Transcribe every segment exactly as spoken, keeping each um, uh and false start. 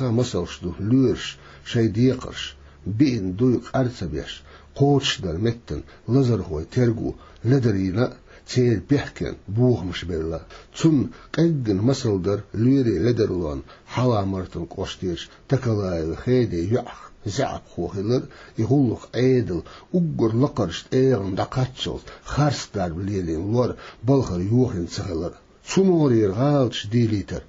Кхы масалш ду лоьраш шайн декхарш, биъна дуй къар ца беш, кхочушдара меттана лазархой терго ледарийна а, церан бехкенна бохамаш белла а. Цунна къеггина масал дара лоьрийн ледарлонна Хьалха-Мартан кӀоштерчу Такалаевн Хедин йоӀах заьӀапхо хилар а, и гӀуллакх Ӏедалан уггар лакхарчу тӀегӀанна дӀакхаччалц харц дарба лелийна лор балхара йохийна ца хилар а. Цу могӀарера гӀалаташ дийлийтар,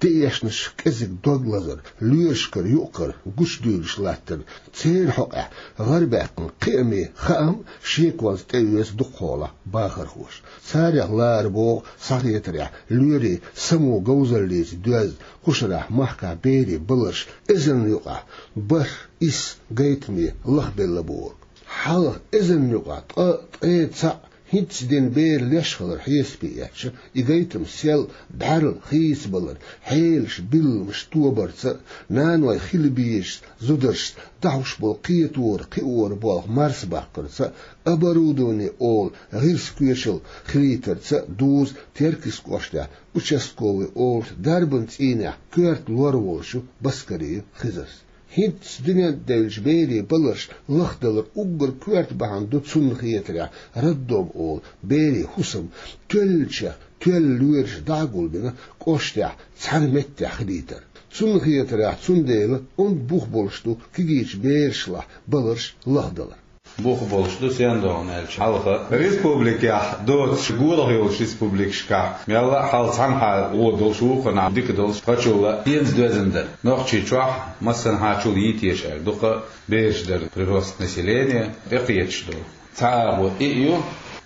деэшнаш кӀезиг дог лазар, лоьрашкара юкъ-кара гучудуьйлуш латтар, церан хьокъехь гӀарабаьккхина кхиаме хаам а шеконца тӀеоьцу дукхахьолахь бахархоша. Царех лара богӀу схьахетарехь лоьрийн самоговзаллица доьзна, кху шарахь махкахь берийн баларш эзарна юкъахь бархӀ, исс гайтаме лахбелла бохург. Хьалха эзарна юкъахь ткъа, ткъе цхьаъ хӀинцца дина бер леш хилар хьесапе эцча, и гайтам сел, бӀаьрла хийцабалар, хьелаш, билламаш тобарца а, наной хила безачу зударшца дӀахьуш болу кхетора, кхиора болх марсабаккхарца а, оборудование олу гӀирс-коьчал хилийтарца а дузу Теркйист кӀоштехь участковый олучу дарбан цӀийнехь коьрта лор волчу Баскариев Хизарс. ХӀинцца дуьнен тӀе девллачу берийн баларш лахдалар уггар коьрта бахьана ду цунна хетарехь, роддом олу берийн хӀусам тоьллачех тоьлла лоьраш дӀа а гулбина, кӀоштехь цхьана меттехь хилийтар. Цунна хетарехь, цундела онда бух болуш ду кегийчу берашлахь баларш лахдалар. Бух болуш ду, сен догӀу аьлча, хьалха республикехь доцуш, гурахь йолчу республикашкахь мелла а хьалха цхьанхьа вон долуш, вукхунахь дика долуш, кхачул а хӀинца доьзна дара. Нохчийчохь массанхьачул йитийша аьлла, дукха бераш дара, прирост населения тӀекхеташ долу. Цхьа агӀо и а ю,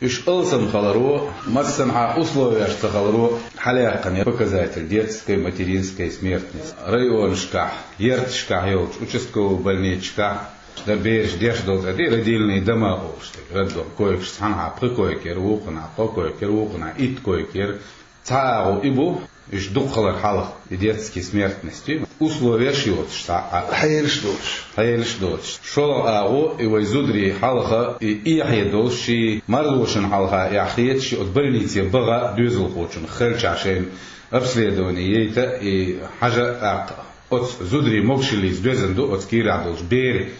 уьш алсам хиларо, массанхьа условеш ца хиларо хьалаяккхина показатель детской, материнской смертности. Районашкахь, ярташкахь йолчу участковый больницашкахь дан бераш деш долу тӀе, родильные дома олуш тӀе, роддом койкаш цхьанхьа пхи койка яра, вукхунахь кхо койка яра, вукхунахь итт койка яра. Цхьа агӀо и бу, уьш дукха хилар хьалха, и детский смертность, условеш йоцуш цхьа а. Хьелаш доцуш. Хьелаш доцуш. ШолгӀа агӀо, и вай зударий хьалха, и эхье долуш, шен марзошна хьалха эхь хеташ, оцу больнице баха доьзалхочунна, хиллачохь шайна обследование яйта а, и хьажа а тӀаккха. Оцу зударийн могушаллица доьзна ду оцу кийрахь долчу берийн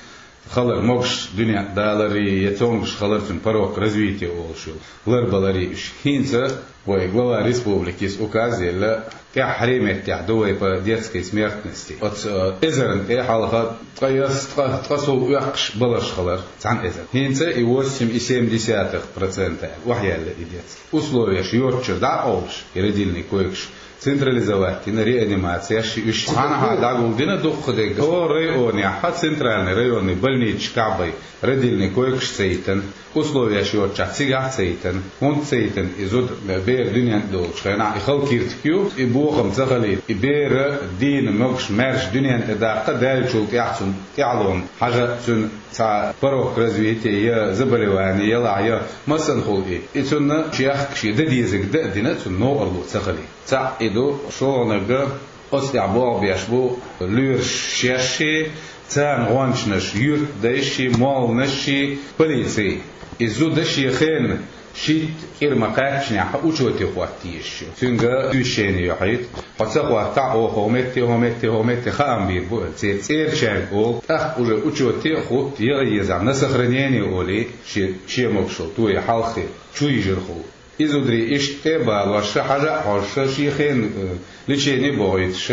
хилар, могуш дуьнен тӀе даларий, я цомгуш хилар, цуьнан порог развития олуш йолу, ларбаларий уьш. ХӀинца вай глава республики иза указ елла, тӀаьххьарчу меттехь ду вай по детской смертности. Оцу, э, эзарна тӀе хьалха ткъе исс, ткъе, ткъе сов оьккхуш баларш хилар цхьана эзарна. ХӀинца и восемь и семь десятых процента охьаяьлла и детский. Условеш йоцчуьра дӀа а къовлуш, и родильный койкаш централизовать дина, реанимацеш, уьш цхьанхьа дӀагулдина дукхахдерг. Цу районехь, центральный районный больницашкахь бен родильный койкаш ца йитина, условеш йоцчохь цигахь ца йитина, хӀунда ца йитина и зуда, бер дуьнен тӀе долучу хенахь, и хала киртиг ю, и бохам ца хилийта, и бер дийна могуш, маьрша дуьнен тӀе даккха, даьллачул тӀаьхьа цунна тӀаьхьалонна хьажа, цуьнан цхьа порог развития, я заболевание ялахь, я массанхула и, и цунна чехка шен дан дезарг дан а дина, цунна новкъарло ца хилийта. Цхьаъ и ду, шолгӀаниг, оцу тӀехь болх беш бу лоьраш шаьш а, царна гӀончанаш, юьртдайш а, молланаш а, полици. И зуда шен хенахь шийтта кӀира ма-кхаьччинехь учете хӀотта езаш ю. Цуьнга увещение йохьуьйту. Хьо ца хӀоттахь, оха хӀокху метте, хӀокху метте, хӀокху метте хаам бийр бу аьлла. Церан цӀерачаьрга олу, тӀаккха уже учете хӀутту, яла езахь на сохранение олий, шен, шен могушалла тоье хьалххе, чу йижархула. И зударий иштта тӀе а балош, хьажа а хьожуш, шен хенахь, э, лечение а бохуьйтуш,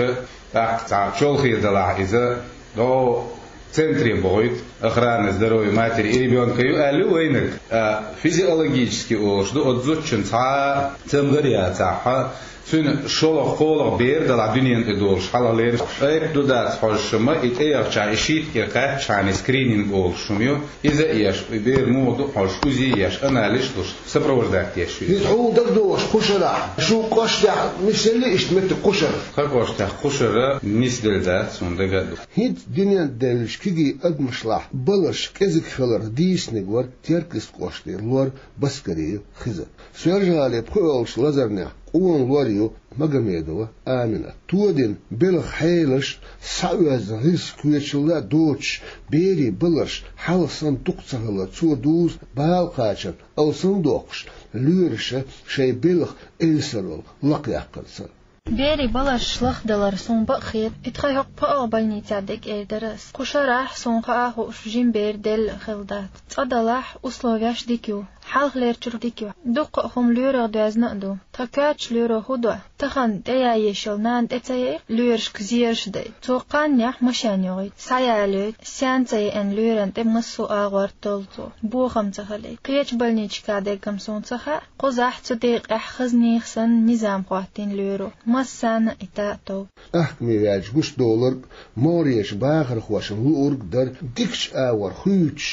тӀаккха цхьа чолхе далахь иза, дӀо центре бохуьйту, охрана здоровья матери и ребёнка ю аьлла ю вайнарг. А физиологически олуш ду, оцу зудчун цхьа а цамгар яцахь, цуьнан шолгӀа-кхоалгӀа бер далахь дуьнен тӀе долуш хьалхалера, айпа ду дац хьожуш ма, и тӀеяхчахь, и шийтта кӀира кхаьччахьана, и скрининг олуш хӀума ю. Иза а еш, и бер муха ду хьожуш, УЗИ еш, анализаш луш, сопровождать деш ю. Иза хьуна дагадогӀуш кху шарахь, шун кӀоштехь нисделла иштта меттиг кху шарахь? Тхан кӀоштехь кху шарахь нисделла дац, хӀунда дага а ду. ХӀинца дуьнен тӀе девллачу кегий адамашлахь баларш кӀезиг хиларх дийцинарг вара Теркйист кӀоштера лор Баскариев Хизар. Соьлжа-ГӀалин пхоьалгӀачу лазарнехь къона лор ю Магомедова Аминат. Тодина белхан хьелаш, схьаоьзна гӀирс-коьчалла а доцуш, берийн баларш хьалха санна дукха ца хилар цо дузу бала кхачар алсамдоккхуш, лоьраша шайн белхан эвсаралла лакхъяккхарца. Берийн баларш лахдалар суна бакъ хета, и тха хӀокху пхоьалгӀа больницехь дерг эр дара ас. Кху шарахь суна хаа хууш жима бер делла хилла дац. Цкъа-делахь условеш дика ю, хьалхалерчуьра дика ю. Дуккха а хӀума лоьрах доьзна а ду. Тхан коьртачу лоьро хӀун до? Тахана тӀеяйеш йолу нана тӀе ца яйа, лоьрашка зераш дайта. Цо кхааннехь машен йохуьйту, схьаялойту, сен ца еана лоьран тӀе массо а агӀор толлу цо, бохам ца хилийта. Кхечу больничка дерг-м суна ца хаьа, кхузахь цу декъехь хаза нехан санна низам хӀоттийна лоьро, массарна а и тӀе а тов. Ахкаме ваьлча гуш долург, могӀарерчу бахархошна луург дара дикачу агӀор хуьйцуш,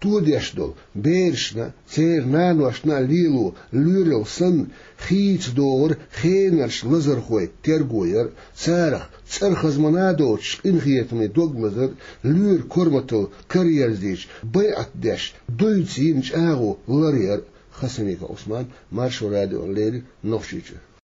тодеш долу берашна, церан наношна а лело лоьралла санна, хийца догӀура хенарчу лазархойн терго яр, царах цӀархазмана доцуш къинхетаме дог лазар, лоьран корматалла караерзийча, байӀат деш, дуьйцу йина чӀагӀо ларъяр. Хасимиков Ӏусман, Маршо радиона леррина, Нохчийчуьра.